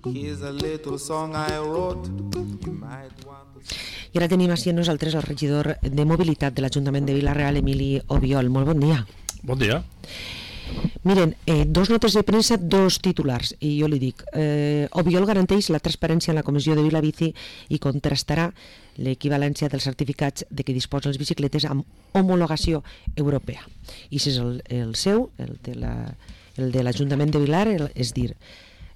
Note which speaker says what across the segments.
Speaker 1: Here's a little song I wrote. You might want to...
Speaker 2: I ara tenim així amb nosaltres el regidor de Mobilitat de l'Ajuntament de Vila-real, Emili Obiol. Molt bon dia.
Speaker 3: Bon dia.
Speaker 2: Miren, dos notes de premsa, dos titulars, i jo li dic, Obiol garanteix la transparència en la comissió de Vilabici i contrastarà l'equivalència dels certificats de què disposen les bicicletes amb homologació europea. I si és el seu, el de l'Ajuntament de Vilar, és dir,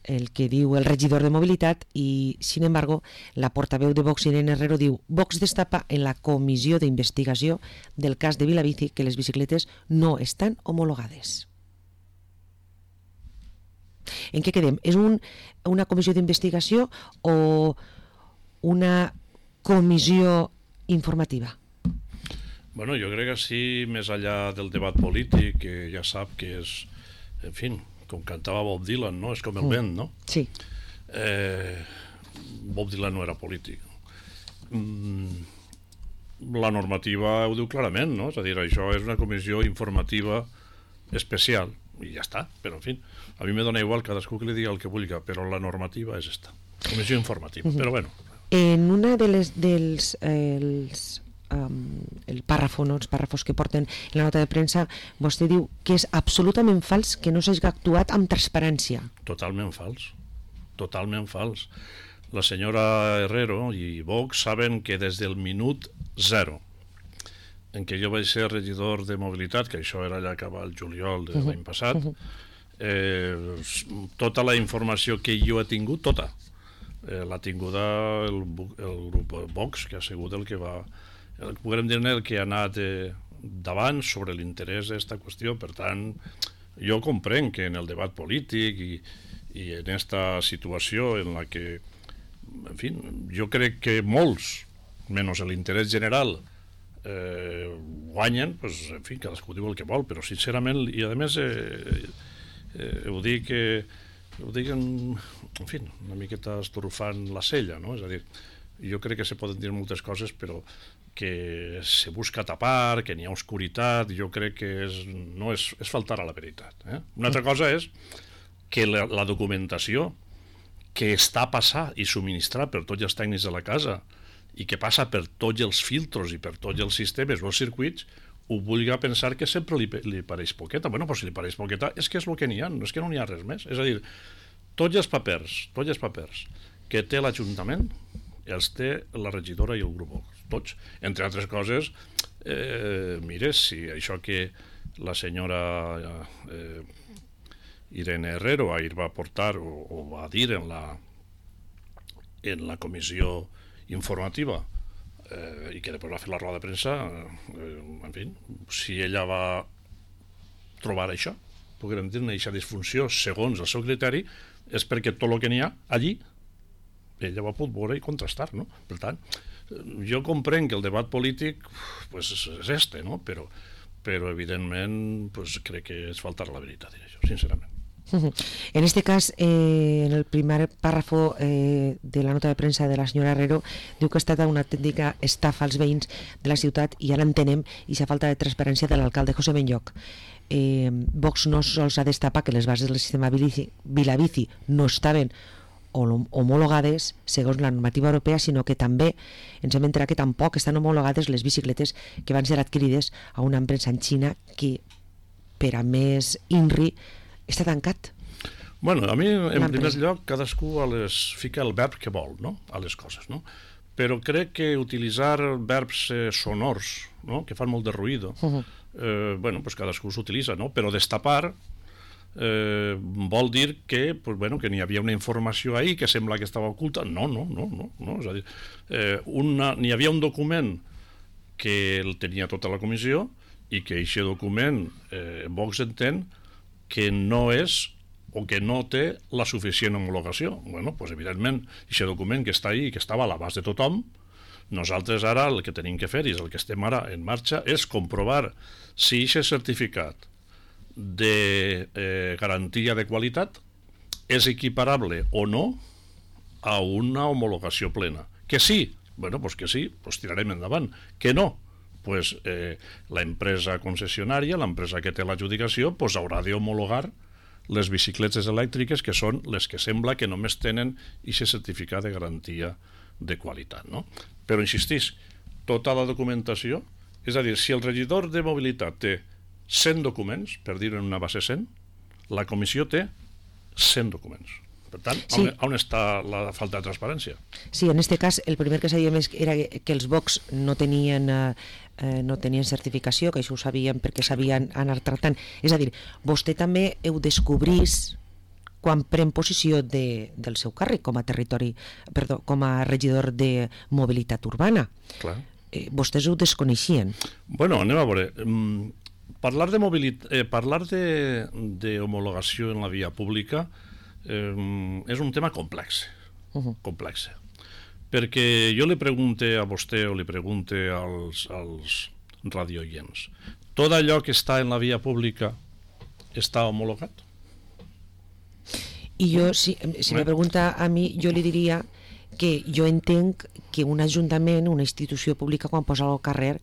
Speaker 2: el que diu el regidor de Mobilitat, i, sin embargo, la portaveu de Vox, Irene Herrero, diu: Vox destapa en la comissió d'investigació del cas de Vilabici que les bicicletes no estan homologades. En què quedem? És una comissió d'investigació o una comissió informativa?
Speaker 3: Bueno, jo crec que sí, més enllà del debat polític, que ja sap que és, en fi, com cantava Bob Dylan, no? És com el vent, no?
Speaker 2: Sí.
Speaker 3: Bob Dylan no era polític. La normativa ho diu clarament, no? És a dir, això és una comissió informativa especial, i ja està, però en fi, a mi me dona igual cadascú que li digui el que vulgui, però la normativa és esta, comissió informativa, però bueno.
Speaker 2: En una de el pàrrafo, no? Els pàrrafos que porten en la nota de premsa, vostè diu que és absolutament fals que no s'hagi actuat amb transparència.
Speaker 3: Totalment fals, totalment fals. La senyora Herrero i Vox saben que des del minut 0 en què jo vaig ser regidor de Mobilitat, que això era allà cap al juliol de l'any passat, tota la informació que jo he tingut, tota, l'ha tinguda el grup Vox, que ha sigut el que va, podem dir el que ha anat davant sobre l'interès d'aquesta qüestió. Per tant, jo comprenc que en el debat polític i en aquesta situació en la que, en fi, jo crec que molts, menys l'interès general, guanyen, pues, en fi, cadascú diu el que vol, però sincerament, i a més ho dic en fi, una miqueta estorfant la cella, no? És a dir, jo crec que se poden dir moltes coses, però que se busca tapar, que n'hi ha oscuritat, jo crec que és faltar a la veritat. Una altra cosa és que la documentació que està a passar i subministrar per tots els tècnics de la casa i que passa per tots els filtros i per tots els sistemes o els circuits, ho vulgui pensar que sempre li pareix poqueta. Bueno, però si li pareix poqueta és que és el que n'hi ha, no és que no n'hi ha res més. És a dir, tots els papers que té l'Ajuntament els té la regidora i el grup Vox, tots. Entre altres coses, mire, si això que la senyora Irene Herrero ahir va portar o va dir en la comissió informativa i que després va fer la roda de premsa, en fi, si ella va trobar això, podríem dir, una disfunció segons el seu criteri, és perquè tot el que n'hi ha allí ella ho ha pogut veure i contrastar, no? Per tant, jo comprenc que el debat polític pues, és este, no? Però evidentment pues, crec que és faltar la veritat, diré jo, sincerament.
Speaker 2: En este cas, en el primer párrafo de la nota de premsa de la senyora Herrero, diu que ha estat una autèntica estafa als veïns de la ciutat i ara entenem i la falta de transparència de l'alcalde José Benlloch. Vox no sols ha destapat que les bases del sistema Vilabici no estaven homologades segons la normativa europea, sinó que també ens hem enterat que tampoc estan homologades les bicicletes que van ser adquirides a una empresa en Xina que, per a més INRI, està tancat.
Speaker 3: Bueno, a mi, en primer lloc, cadascú fica el verb que vol, no?, a les coses, no? Però crec que utilitzar verbs sonors, no?, que fan molt de ruïdo, bueno, pues cadascú s'utilitza, no? Però destapar vol dir que, pues, bueno, que n'hi havia una informació ahí que sembla que estava oculta. No. És a dir, n'hi havia un document que el tenia tota la comissió i que aquest document Vox entén que no és o que no té la suficient homologació. Bueno, pues evidentment, aquest document que està ahí i que estava a l'abast de tothom, nosaltres ara el que tenim que fer, i és el que estem ara en marxa, és comprovar si aquest certificat de garantia de qualitat és equiparable o no a una homologació plena. Que sí, bueno, pues que sí, pues tirarem endavant. Que no, pues l'empresa concessionària, l'empresa que té l'adjudicació, pues haurà d'homologar les bicicletes elèctriques, que són les que sembla que només tenen aquest certificat de garantia de qualitat, no? Però insistís, tota la documentació, és a dir, si el regidor de mobilitat té 100 documents, per dir en una base 100, la comissió té 100 documents. Per tant,
Speaker 2: sí.
Speaker 3: On està la falta de transparència?
Speaker 2: Sí, en aquest cas, el primer que sabíem era que els box no tenien certificació, que això ho sabíem perquè sabien anar tractant. És a dir, vostè també ho descobrís quan pren posició del seu càrrec com a regidor de mobilitat urbana.
Speaker 3: Clar.
Speaker 2: Vostès ho desconeixien.
Speaker 3: Bueno, anem a veure. Parlar d'homologació en la via pública és un tema complex. Complex. Perquè jo li pregunte a vostè o li pregunte als radioients, tot allò que està en la via pública està homologat?
Speaker 2: I jo, si me pregunta a mi, jo li diria que jo entenc que un ajuntament, una institució pública, quan posa al carrer,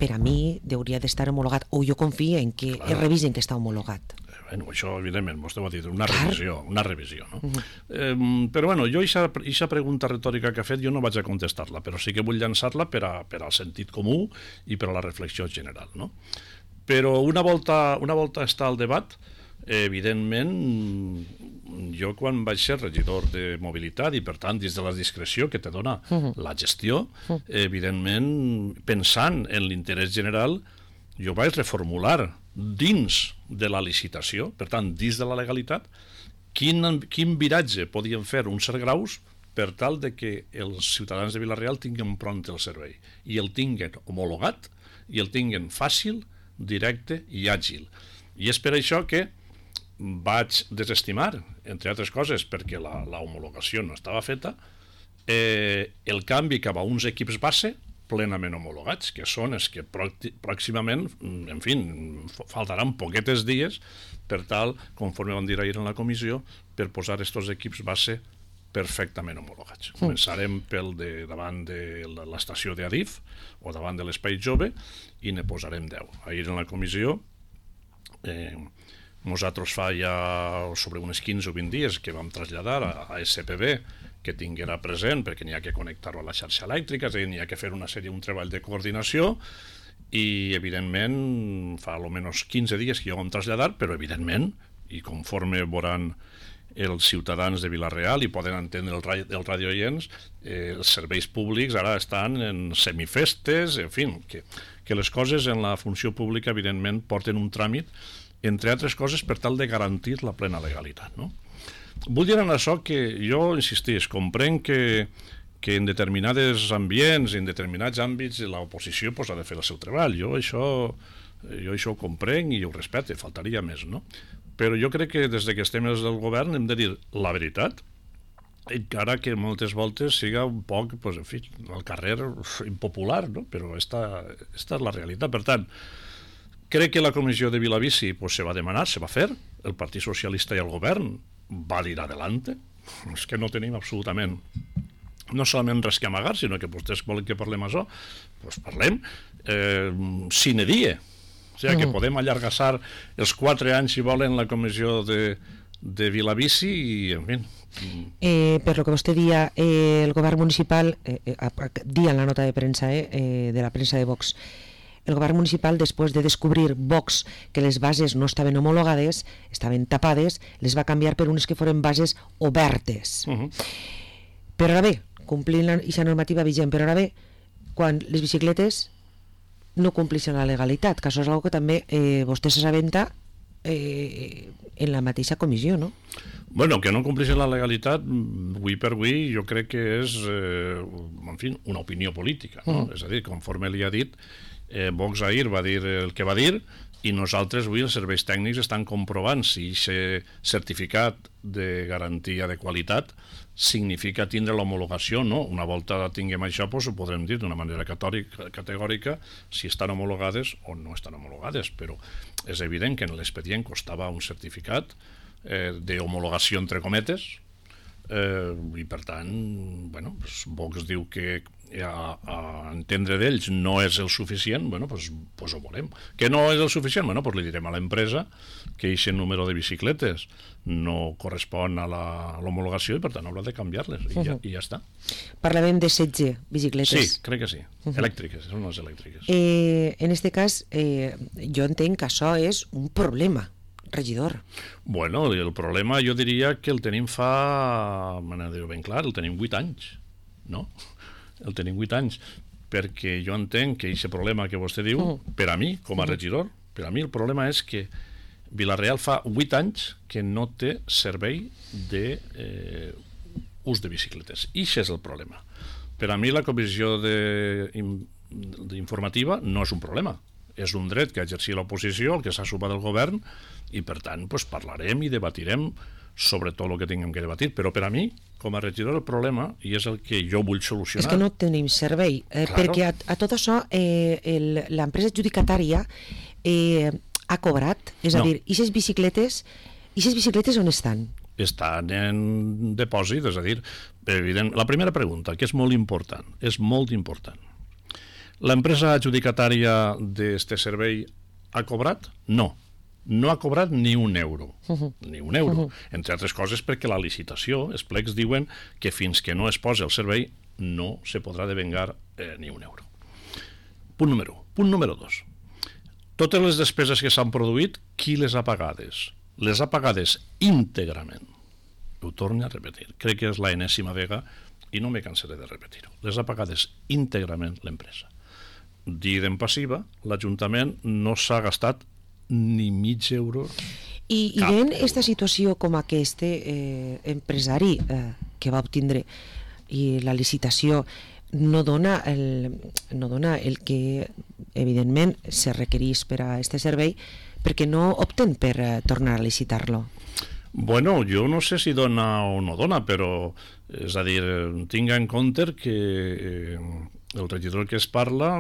Speaker 2: per a mi hauria d'estar homologat, o jo confio en que es revisen que està homologat.
Speaker 3: Bueno, això, evidentment, vostè ho ha dit, una revisió, no? Però, bueno, jo aquesta pregunta retòrica que ha fet jo no vaig a contestar-la, però sí que vull llançar-la per al sentit comú i per a la reflexió general, no? Però una volta està al debat, evidentment, jo quan vaig ser regidor de mobilitat i per tant dins de la discreció que te dona la gestió, evidentment pensant en l'interès general, jo vaig reformular dins de la licitació, per tant dins de la legalitat, quin viratge podien fer uns cert graus per tal de que els ciutadans de Vila-real tinguin pront el servei i el tinguin homologat i el tinguin fàcil, directe i àgil. I és per això que vaig desestimar, entre altres coses, perquè la homologació no estava feta, el canvi cap a uns equips base plenament homologats, que són els que pròximament, en fi, faltaran poquetes dies per tal, conforme vam dir ahir en la comissió, per posar aquests equips base perfectament homologats. Començarem pel davant de l'estació d'Adif o davant de l'Espai Jove i ne posarem 10. Ahir en la comissió nosaltres fa ja sobre unes 15 o 20 dies que vam traslladar a SPB que tinguera present, perquè n'hi ha que connectar-ho a la xarxa elèctrica, és a dir, n'hi ha que fer un treball de coordinació i, evidentment, fa almenys 15 dies que ja ho vam traslladar, però, evidentment, i conforme veuran els ciutadans de Vila-real i poden entendre els radioients, els serveis públics ara estan en semifestes, en fi, que les coses en la funció pública, evidentment, porten un tràmit, entre altres coses, per tal de garantir la plena legalitat, no? Vull dir en això que jo, insistís, comprenc que en determinats ambients, en determinats àmbits, l'oposició ha de fer el seu treball. Jo això ho comprenc i ho respecte, faltaria més, no? Però jo crec que des que estem des del govern hem de dir la veritat, encara que moltes voltes siga un poc, en fi, al carrer impopular, no? Però esta és la realitat. Per tant, crec que la comissió de Vilabici se va demanar, se va fer, el Partit Socialista i el govern va dir adelante, és que no tenim absolutament no solament res que amagar, sinó que vostès volen que parlem això, doncs parlem sine die, o sigui que podem allargassar els 4 anys si volen la comissió de Vilabici i en fi.
Speaker 2: Per lo que vostè dia, el govern municipal dia en la nota de premsa de la premsa de Vox, el govern municipal, després de descobrir Vox que les bases no estaven homologades, estaven tapades, les va canviar per unes que foren bases obertes. Però ara bé, complint aquesta normativa vigent, però ara bé, quan les bicicletes no complixen la legalitat, que això és una que també vostè s'assabenta en la mateixa comissió, no?
Speaker 3: Bueno, que no complixen la legalitat, avui per avui, jo crec que és, en fi, una opinió política, no? És a dir, conforme li ha dit, Vox ahir va dir el que va dir i nosaltres avui els serveis tècnics estan comprovant si aquest certificat de garantia de qualitat significa tindre l'homologació o no. Una volta tinguem això, doncs ho podrem dir d'una manera categòrica si estan homologades o no estan homologades, però és evident que en l'expedient costava un certificat d'homologació entre cometes i per tant, bueno, Vox diu que a entendre d'ells no és el suficient, bueno, pues ho volem. Que no és el suficient, bueno, pues li direm a l'empresa que aquest número de bicicletes no correspon a l'homologació i per tant haurà de canviar-les i ja està.
Speaker 2: Parlàvem de 16 bicicletes.
Speaker 3: Sí, crec que sí. Elèctriques, són les elèctriques.
Speaker 2: En este cas, jo entenc que això és un problema, regidor.
Speaker 3: Bueno, el problema jo diria que el tenim fa, me n'ha de dir ben clar, el tenim 8 anys, no? El tenim 8 anys, perquè jo entenc que aquest problema que vostè diu, per a mi, com a regidor, per a mi el problema és que Vila-real fa 8 anys que no té servei d'ús de bicicletes. I això és el problema. Per a mi la comissió informativa no és un problema. És un dret que exercia l'oposició, el que s'ha supat del govern, i per tant pues, parlarem i debatirem sobre tot el que tinguem que debatir, però per a mi, com a regidor, el problema, i és el que jo vull solucionar...
Speaker 2: És que no tenim servei, perquè a tot això l'empresa adjudicatària ha cobrat, és a dir, i aquestes bicicletes on estan?
Speaker 3: Estan en depòsit, és a dir, evident, la primera pregunta, que és molt important, l'empresa adjudicatària d'este servei ha cobrat? No. No ha cobrat ni un euro, entre altres coses perquè la licitació, els plecs diuen que fins que no es posi el servei no se podrà devengar ni un euro. Punt número 1. Punt número 2. Totes les despeses que s'han produït, qui les ha pagades? Les ha pagades íntegrament. Ho torno a repetir, crec que és la enèsima vega i no me cansaré de repetir-ho. Les ha pagades íntegrament l'empresa. Dit en passiva, l'Ajuntament no s'ha gastat ni mig euro.
Speaker 2: I en aquesta situació com aquest empresari que va obtindre i la licitació no dona el que evidentment se requereix per a aquest servei, perquè no opten per tornar a licitar-lo.
Speaker 3: Bueno, jo no sé si dona o no dona, però és a dir, tinga en compte que el regidor que es parla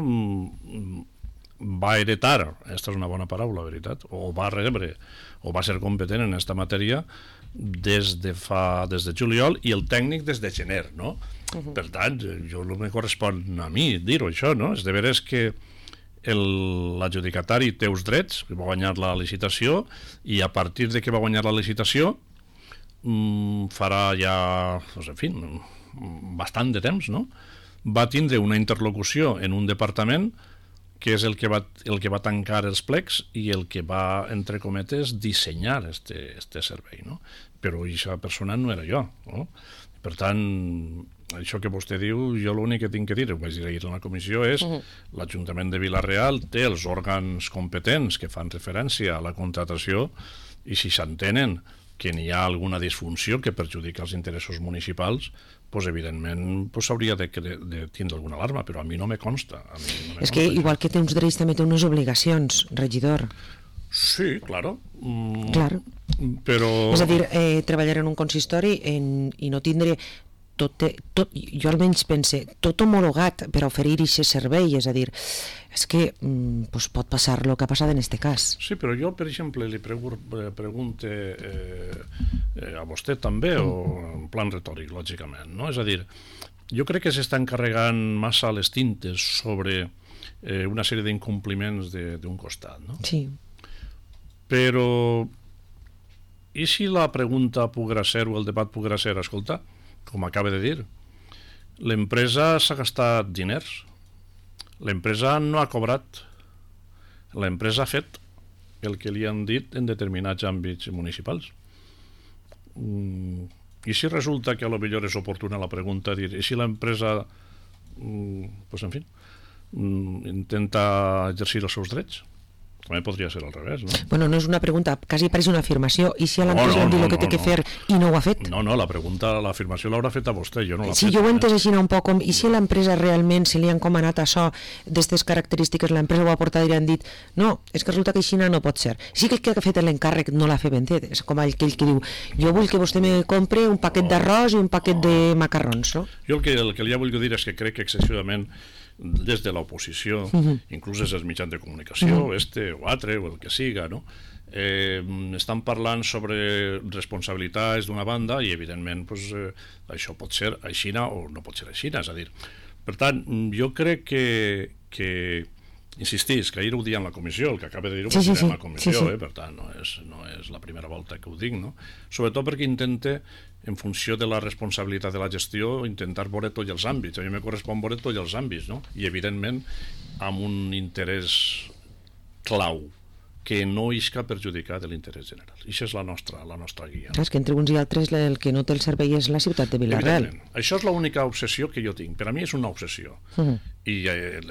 Speaker 3: va heretar, aquesta és una bona paraula, veritat, o va rebre, o va ser competent en aquesta matèria des de juliol i el tècnic des de gener, no? Per tant, jo no me correspon a mi dir-ho, això, no? És de veres que l'adjudicatari té uns drets, que va guanyar la licitació, i a partir de que va guanyar la licitació farà ja, en fi, bastant de temps, no? Va tindre una interlocució en un departament que és el que va tancar els plecs i el que va, entre cometes, dissenyar este servei, no? Però aquesta persona no era jo, no? Per tant, això que vostè diu, jo l'únic que tinc que dir, ho vaig dir ahir en la comissió, és l'Ajuntament de Vila-real té els òrgans competents que fan referència a la contratació i si s'entenen que n'hi ha alguna disfunció que perjudica els interessos municipals, pues, evidentment s'hauria de tindre alguna alarma, però a mi no me consta.
Speaker 2: És que igual que té uns drets també té unes obligacions, regidor.
Speaker 3: Sí, claro.
Speaker 2: Clar.
Speaker 3: Però...
Speaker 2: És a dir, treballar en un consistori i no tindre tot, jo almenys pense, tot homologat per oferir aquest servei, és a dir, és que pot passar el que ha passat en aquest cas.
Speaker 3: Sí, però jo, per exemple, li pregunto a vostè també, o en plan retòric, lògicament, no? És a dir, jo crec que s'estan carregant massa les tintes sobre una sèrie d'incompliments d'un costat, no?
Speaker 2: Sí.
Speaker 3: Però, i si la pregunta poguera ser, o el debat poguera ser, escolta, com acaba de dir, l'empresa s'ha gastat diners, l'empresa no ha cobrat, l'empresa ha fet el que li han dit en determinats àmbits municipals. I si resulta que a lo millor és oportuna la pregunta, dir, i si l'empresa, pues en fi, intenta exercir els seus drets? També podria ser al revés, no?
Speaker 2: Bueno, no és una pregunta, quasi pareix una afirmació. I si a l'empresa li han dit el que té que fer i no ho ha fet?
Speaker 3: No, l'afirmació l'haurà fet a vostè, jo no l'ha fet.
Speaker 2: Sí, jo ho he entès així un poc, i si a l'empresa realment se li ha encomanat això, d'aquestes característiques, l'empresa ho ha portat i li han dit, no, és que resulta que així no pot ser. Sí que el que ha fet l'encàrrec no l'ha fet ben fet, és com aquell que diu, jo vull que vostè me compre un paquet d'arròs i un paquet de macarrons, no?
Speaker 3: Jo el que li vull dir és que crec que excessivament des de l'oposició, inclús des dels mitjans de comunicació, o altre, o el que siga, no? Estan parlant sobre responsabilitats d'una banda i evidentment això pot ser aixina o no pot ser aixina, és a dir, Per tant, jo crec que insistís, que ahir ho dia en la comissió, el que acaba de dir-ho
Speaker 2: Sí.
Speaker 3: en la comissió,
Speaker 2: Sí.
Speaker 3: Per tant, no és la primera volta que ho dic, no? Sobretot perquè intente, en funció de la responsabilitat de la gestió, intentar veure tots els àmbits. A mi me correspon veure tots els àmbits, no? I, evidentment, amb un interès clau, que no isca perjudicar de l'interès general. I això és la nostra guia.
Speaker 2: Clar, és que entre uns i altres el que no té el servei és la ciutat de Vila-real.
Speaker 3: Evidentment. Això és l'única obsessió que jo tinc. Per a mi és una obsessió. I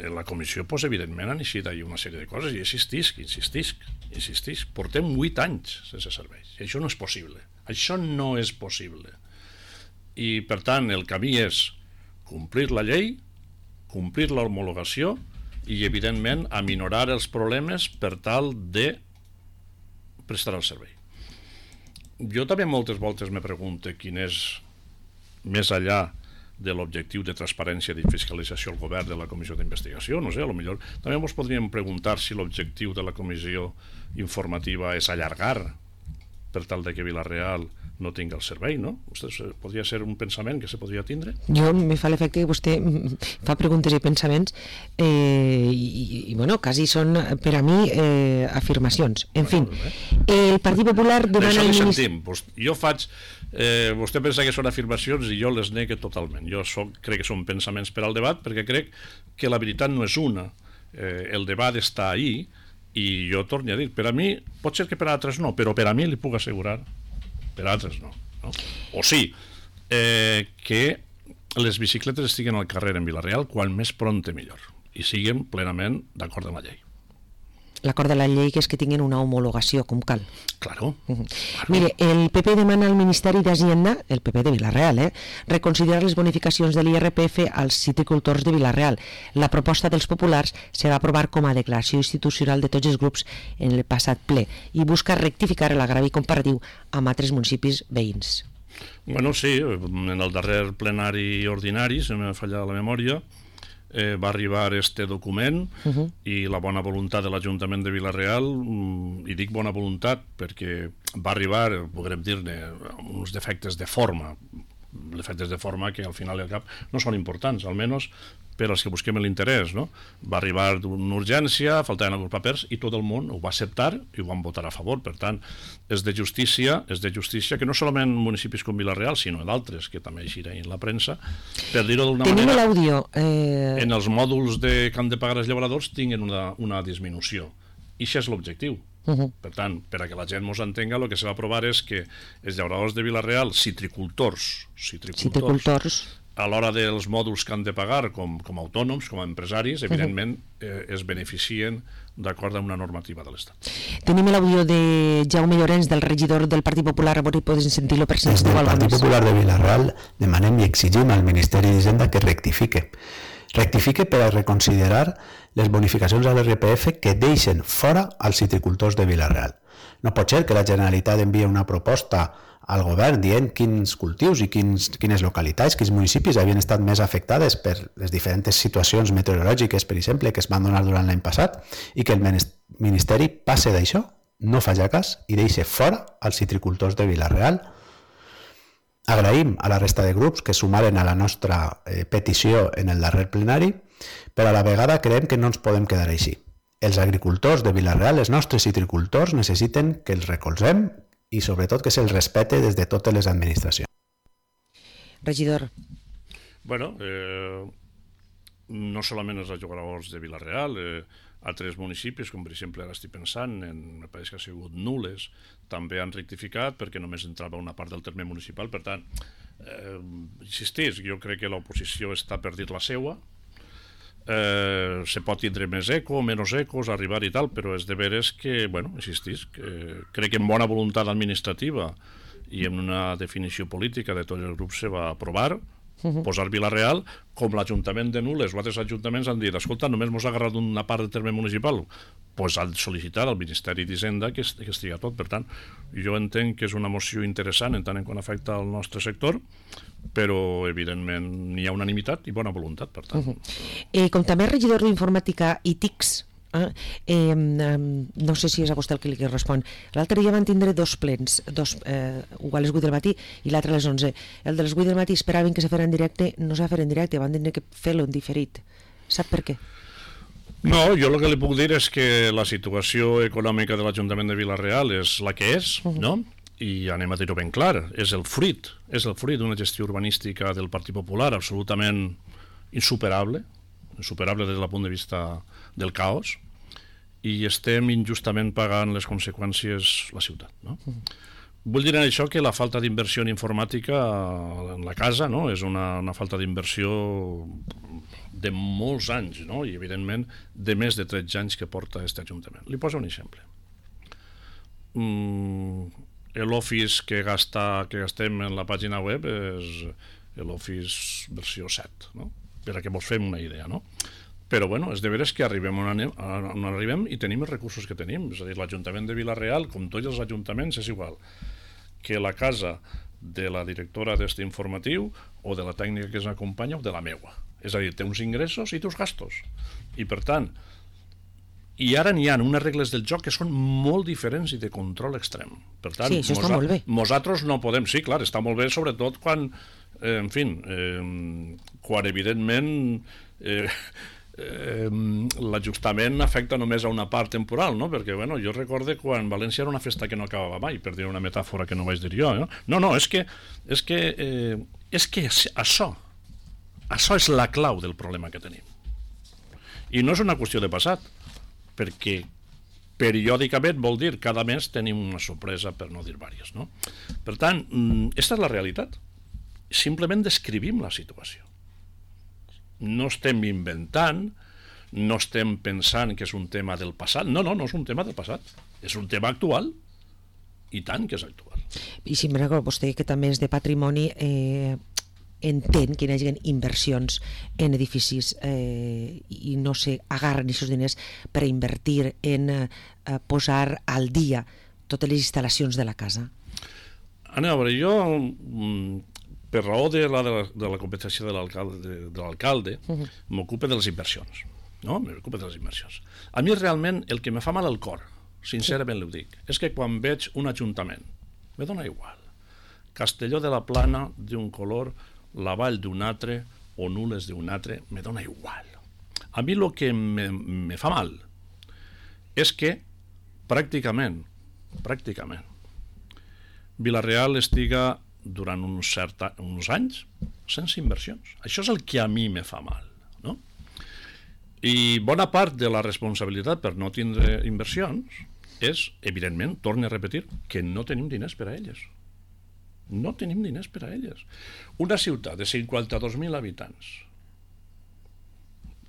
Speaker 3: la comissió, doncs, evidentment, han eixit ahir una sèrie de coses i insistisc. Portem 8 anys sense serveis. I això no és possible. Això no és possible. I, per tant, el camí és complir la llei, complir l'homologació i, evidentment, aminorar els problemes per tal de prestar el servei. Jo també moltes voltes me pregunto quin és, més enllà de l'objectiu de transparència i fiscalització al govern de la comissió d'investigació, no sé, potser també ens podríem preguntar si l'objectiu de la comissió informativa és allargar per tal de que Vila-real no tingui el servei, no? Podria ser un pensament que se podria tindre?
Speaker 2: Jo me fa l'efecte que vostè fa preguntes i pensaments i bueno, quasi són per a mi afirmacions. En fi, el Partit Popular demana...
Speaker 3: Això li sentim. Jo faig... vostè pensa que són afirmacions i jo les negue totalment. Jo crec que són pensaments per al debat perquè crec que la veritat no és una. El debat està ahí i jo torno a dir, per a mi, pot ser que per a altres no, però per a mi li puc assegurar, per a altres no. O sí, que les bicicletes estiguen al carrer en Vila-real quan més prompte millor i siguin plenament d'acord amb la llei.
Speaker 2: L'acord de la llei que és que tinguin una homologació com cal.
Speaker 3: Claro.
Speaker 2: Mire, el PP demana al Ministeri d'Hacienda, el PP de Vila-real, reconsiderar les bonificacions de l'IRPF als citricultors de Vila-real. La proposta dels populars se va aprovar com a declaració institucional de tots els grups en el passat ple i busca rectificar l'agravi comparatiu amb altres municipis veïns.
Speaker 3: Bueno, sí, en el darrer plenari ordinari, si no m'ha fallat la memòria, va arribar este document i la bona voluntat de l'Ajuntament de Vila-real, i dic bona voluntat perquè va arribar, podrem dir-ne, amb uns defectes de forma que al final i al cap no són importants, almenys per als que busquem l'interès, no? Va arribar d'una urgència, faltaven alguns papers i tot el món ho va acceptar i ho van votar a favor. Per tant, és de justícia que no solament municipis com Vila-real, sinó d'altres que també eixiran en la premsa, per dir-ho d'una
Speaker 2: Tenim
Speaker 3: manera,
Speaker 2: l'àudio.
Speaker 3: en els mòduls que han de pagar els llauradors tinguin una disminució. I això és l'objectiu. Per tant, per a que la gent ens entenga, el que se va aprovar és que els llauradors de Vila-real, citricultors, a l'hora dels mòduls que han de pagar com a autònoms, com a empresaris, evidentment es beneficien d'acord amb una normativa de l'Estat.
Speaker 2: Tenim l'àudio de Jaume Llorenç, del regidor del Partit Popular, a veure si poden sentir-lo per si
Speaker 4: Des del Partit Popular de Vila-real demanem i exigim al Ministeri d'Hisenda que rectifique per a reconsiderar les bonificacions a l'IRPF que deixen fora als citricultors de Vila-real. No pot ser que la Generalitat envie una proposta al govern dient quins cultius i quines localitats, quins municipis havien estat més afectades per les diferents situacions meteorològiques, per exemple, que es van donar durant l'any passat, i que el Ministeri passe d'això, no faci cas i deixi fora els citricultors de Vila-real. Agraïm a la resta de grups que sumaren a la nostra petició en el darrer plenari, però a la vegada creiem que no ens podem quedar així. Els agricultors de Vila-real, els nostres citricultors, necessiten que els recolzem i sobretot que se'ls respecte des de totes les administracions.
Speaker 2: Regidor.
Speaker 3: Bueno, no solament els llauradors de Vila-real, altres municipis, com per exemple ara estic pensant, me pareix que ha sigut Nules, també han rectificat perquè només entrava una part del terme municipal. Per tant, insistís, jo crec que l'oposició està per dir la seua, se pot tindre més eco, menys ecos, arribar i tal, però és de veres que, bueno, insistís, crec que amb bona voluntat administrativa i amb una definició política de tots els grups se va aprovar posar Vila-real, com l'Ajuntament de Nules o altres ajuntaments han dit, escolta, només mos ha agarrat una part del terme municipal, doncs han sol·licitat al Ministeri d'Hisenda que estiga tot. Per tant, jo entenc que és una moció interessant en tant en quant afecta al nostre sector, però evidentment n'hi ha unanimitat i bona voluntat, per tant.
Speaker 2: Com també regidor d'Informàtica i TICs, No sé si és a vostè el que li respon. L'altre dia van tindre dos plens, un a les 8 del matí i l'altre a les 11. El de les 8 del matí esperaven que se fera en directe, no s'ha fet en directe, van tindre que fer-lo en diferit. Sap per què?
Speaker 3: No, jo el que li puc dir és que la situació econòmica de l'Ajuntament de Vila-real és la que és, no? I anem a dir-ho ben clar, és el fruit d'una gestió urbanística del Partit Popular absolutament insuperable des del punt de vista del caos, i estem injustament pagant les conseqüències la ciutat, no? Vull dir en això que la falta d'inversió en informàtica en la casa, no? És una falta d'inversió de molts anys, no? I evidentment de més de 13 anys que porta aquest Ajuntament. Li poso un exemple. L'Office que gastem en la pàgina web és l'Office versió 7, no? Per a que vos fem una idea, no? Però bueno, és de veres que arribem on arribem i tenim els recursos que tenim. És a dir, l'Ajuntament de Vila-real, com tots els ajuntaments, és igual que la casa de la directora d'este informatiu o de la tècnica que ens acompanya o de la meua. És a dir, té uns ingressos i té uns gastos. I per tant, i ara n'hi ha unes regles del joc que són molt diferents i de control extrem. Per tant,
Speaker 2: sí, això està molt bé.
Speaker 3: Nosaltres no podem... Sí, clar, està molt bé, sobretot quan, quan evidentment l'ajustament afecta només a una part temporal, no? Perquè, bueno, jo recorde quan València era una festa que no acabava mai, per dir una metàfora que no vaig dir jo, no? No, és que això és la clau del problema que tenim. I no és una qüestió de passat, perquè periòdicament vol dir cada mes tenim una sorpresa, per no dir diverses, no? Per tant, aquesta és la realitat. Simplement descrivim la situació. No estem inventant, no estem pensant que és un tema del passat. No és un tema del passat. És un tema actual, i tant que és actual.
Speaker 2: I si me recordo, vostè que també és de patrimoni, entén que hi hagi inversions en edificis i no agarren aquests diners per invertir en posar al dia totes les instal·lacions de la casa.
Speaker 3: A veure, jo... per raó de la competència de l'alcalde, m'ocupa de les inversions. No? M'ocupa de les inversions. A mi realment el que me fa mal al cor, sincerament ho dic, és que quan veig un ajuntament, me dona igual. Castelló de la Plana d'un color, la Vall d'un altre, o Nules d'un altre, me dona igual. A mi el que me fa mal és que pràcticament Vila-real estiga durant uns anys sense inversions. Això és el que a mi me fa mal, no? I bona part de la responsabilitat per no tindre inversions és, evidentment, torno a repetir, que no tenim diners per a elles. No tenim diners per a elles. Una ciutat de 52.000 habitants,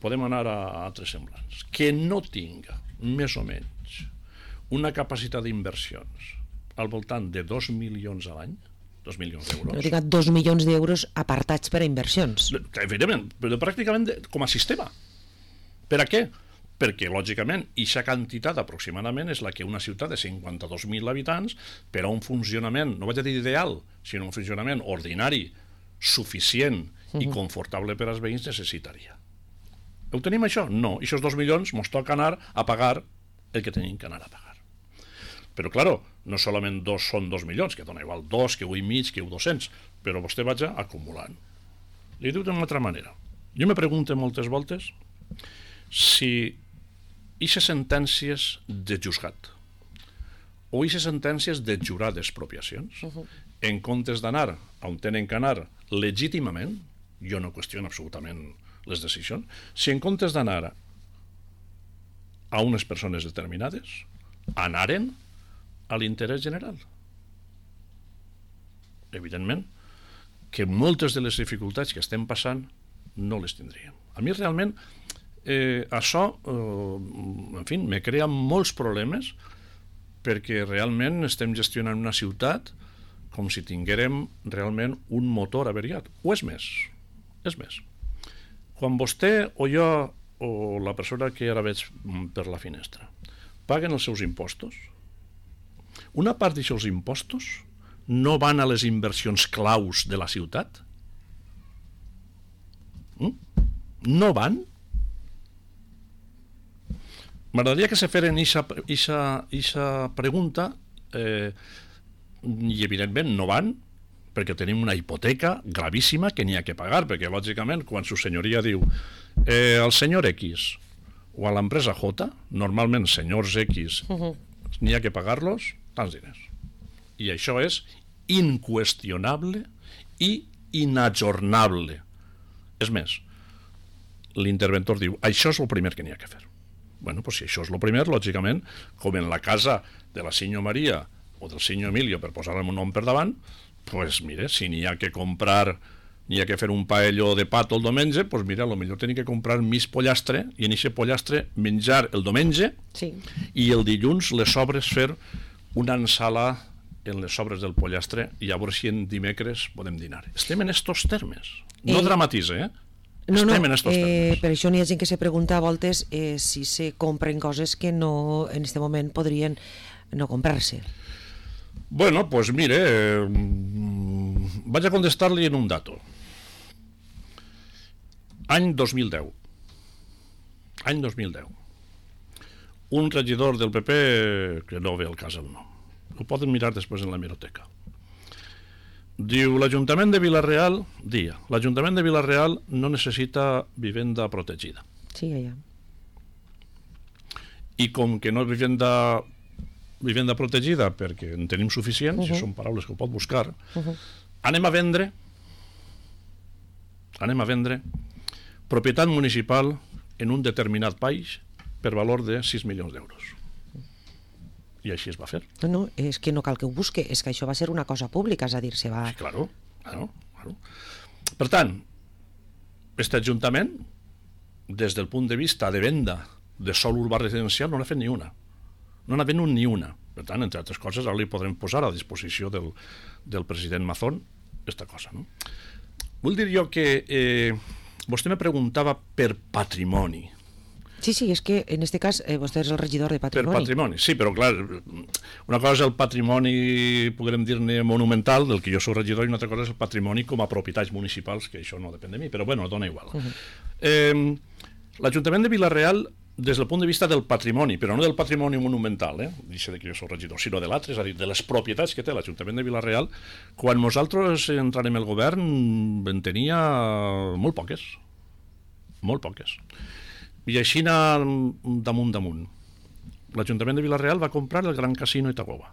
Speaker 3: podem anar a altres semblants, que no tinga, més o menys, una capacitat d'inversions al voltant de 2 milions a l'any, 2 milions d'euros.
Speaker 2: No dic 2 milions d'euros apartats per a inversions.
Speaker 3: Evidentment, però pràcticament com a sistema. Per a què? Perquè, lògicament, aquesta quantitat aproximadament és la que una ciutat de 52.000 habitants, per a un funcionament, no vaig a dir ideal, sinó un funcionament ordinari, suficient i confortable per als veïns necessitaria. Ho tenim això? No. I aquests 2 milions ens toca anar a pagar el que tenim que anar a pagar. Però, claro, no solament són 2 milions, que dona igual 2, que 1,5, que 200, però vostè vaig acumulant. Li diu d'una altra manera. Jo me pregunto moltes voltes si aquestes sentències de juzgat o aquestes sentències de jurar d'expropiacions, en comptes d'anar on tenen que anar legítimament, jo no qüestiono absolutament les decisions, si en comptes d'anar a unes persones determinades, anaren a l'interès general. Evidentment que moltes de les dificultats que estem passant no les tindríem. A mi realment això en fi, me crea molts problemes, perquè realment estem gestionant una ciutat com si tinguérem realment un motor averiat. O és més. Quan vostè o jo o la persona que ara veig per la finestra paguen els seus impostos, una part d'aquests impostos no van a les inversions claus de la ciutat? No van? m'agradaria que se feren ixa pregunta i evidentment no van, perquè tenim una hipoteca gravíssima que n'hi ha que pagar, perquè lògicament quan su senyoria diu el senyor X o a l'empresa J, normalment senyors X n'hi ha que pagar-los tants diners, i això és inqüestionable i inajornable. És més, l'interventor diu això és el primer que n'hi ha que fer. Bueno, doncs si això és el primer, lògicament, com en la casa de la senyor Maria o del senyor Emilio, per posar-li un nom per davant, doncs mire, si n'hi ha que comprar, n'hi ha que fer un paello de pato el diumenge, doncs mira, potser tenir que comprar mig pollastre i en aquest pollastre menjar el diumenge i el dilluns les sobres fer una ensala en les sobres del pollastre i a veure si en dimecres podem dinar. Estem en estos termes. No dramatitza, estem en estos termes.
Speaker 2: Per això n'hi ha gent que se pregunta a voltes si se compren coses que no, en aquest moment podrien no comprar-se.
Speaker 3: Bueno, pues mire, vaig a contestar-li en un dato. Any 2010. Any 2010. Un regidor del PP, que no ve al cas el nom, ho poden mirar després en la hemeroteca, diu, l'Ajuntament de Vila-real no necessita vivenda protegida.
Speaker 2: Sí, ja.
Speaker 3: I com que no és vivenda protegida perquè en tenim suficient, si són paraules que ho pot buscar, anem a vendre propietat municipal en un determinat país per valor de 6 milions d'euros. I així es va fer.
Speaker 2: No, és que no cal que ho busque, és que això va ser una cosa pública, és a dir, se va...
Speaker 3: Sí, claro. Per tant, aquest Ajuntament, des del punt de vista de venda de sòl urbà residencial, no n'ha fet ni una. No n'ha venut ni una. Per tant, entre altres coses, ara li podrem posar a disposició del president Mazón aquesta cosa, no? Vull dir jo que vostè me preguntava per patrimoni.
Speaker 2: Sí, és que en aquest cas vostè és el regidor de patrimoni.
Speaker 3: Per patrimoni, sí, però clar, una cosa és el patrimoni, podrem dir-ne monumental, del que jo soc regidor, i una altra cosa és el patrimoni com a propietats municipals, que això no depèn de mi, però bueno, dona igual. L'Ajuntament de Vila-real, des del punt de vista del patrimoni, però no del patrimoni monumental, deixa de que jo soc regidor, sinó de l'altre, és a dir, de les propietats que té l'Ajuntament de Vila-real, quan nosaltres entrarem al govern en tenia molt poques. I així anar damunt. L'Ajuntament de Vila-real va comprar el Gran Casino Itagoba.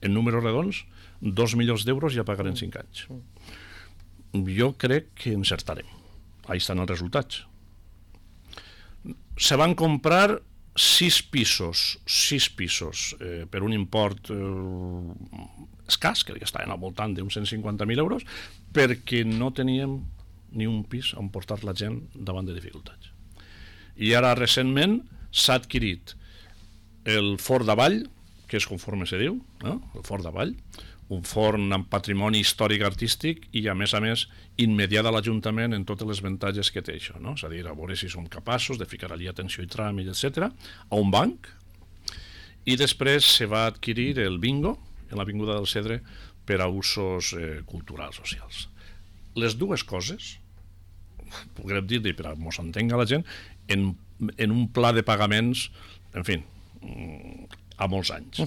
Speaker 3: En números redons, 2 milions d'euros ja pagarem 5 anys. Jo crec que encertarem. Ahí estan els resultats. Se van comprar 6 pisos per un import escàs, que estaven al voltant d'uns 150.000 euros, perquè no teníem ni un pis on portar la gent davant de dificultats. I ara recentment s'ha adquirit el Fort d'Avall, que és conforme se diu, no? El Fort d'Avall, un forn amb patrimoni històric artístic i a més immediat a l'Ajuntament en totes les avantatges que té això, no? És a dir, a veure si som capaços de ficar allí atenció i tràmit, etc., a un banc, i després se va adquirir el bingo en l'Avinguda del Cedre per a usos culturals, socials. Les dues coses, podríem dir-li, per a que s'entenga la gent, en un pla de pagaments, en fi, a molts anys.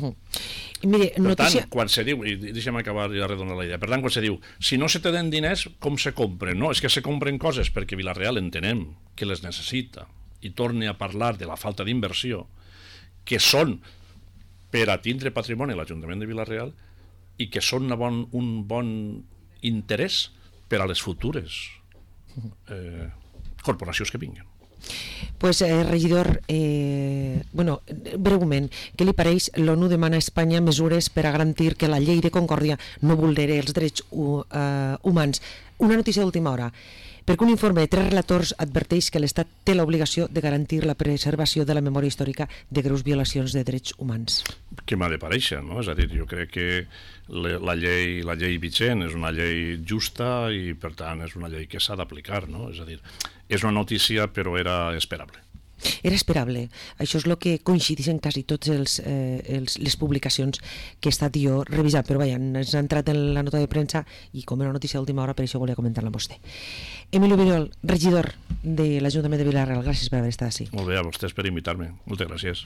Speaker 2: Mire,
Speaker 3: per tant, quan se diu, i deixa'm acabar i arredonar la idea, per tant, quan se diu, si no se tenen diners, com se compren? No, és que se compren coses perquè Vila-real entenem que les necessita, i torne a parlar de la falta d'inversió, que són per a tindre patrimoni a l'Ajuntament de Vila-real i que són un bon interès per a les futures corporacions que vinguin.
Speaker 2: Pues, regidor, breument, què li pareix? L'ONU demana a Espanya mesures per a garantir que la llei de Concòrdia no vulneri els drets humans. Una notícia d'última hora, perquè un informe de 3 relators adverteix que l'Estat té l'obligació de garantir la preservació de la memòria històrica de greus violacions de drets humans.
Speaker 3: Que m'ha de parèixer, no? És a dir, jo crec que la llei vigent és una llei justa i, per tant, és una llei que s'ha d'aplicar, no? És a dir, és una notícia, però era esperable.
Speaker 2: Era esperable. Això és el que coincideixen quasi totes les publicacions que he estat jo revisant, però vaja, ens ha entrat en la nota de premsa i com era una notícia d'última hora, per això volia comentar-la amb vostè. Emilio Vidal, regidor, de l'Ajuntament de Vila-real. Gràcies per haver estat així.
Speaker 3: Molt bé, a vostès per invitar-me. Moltes gràcies.